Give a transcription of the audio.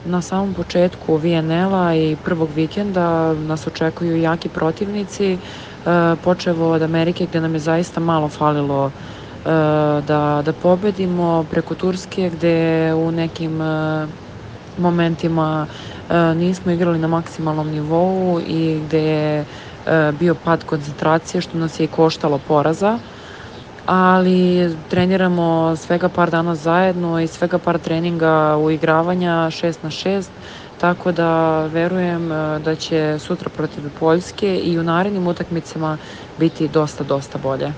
Na samom početku VNL-a i prvog vikenda nas očekuju jaki protivnici, počevo od Amerike gde nam je zaista malo falilo da pobedimo, preko Turske gde u nekim momentima nismo igrali na maksimalnom nivou i gde je bio pad koncentracije što nas je i koštalo poraza, ali treniramo svega par dana zajedno i svega par treninga uigravanja 6-6, tako da verujem da će sutra protiv Poljske i u narednim utakmicama biti dosta bolje.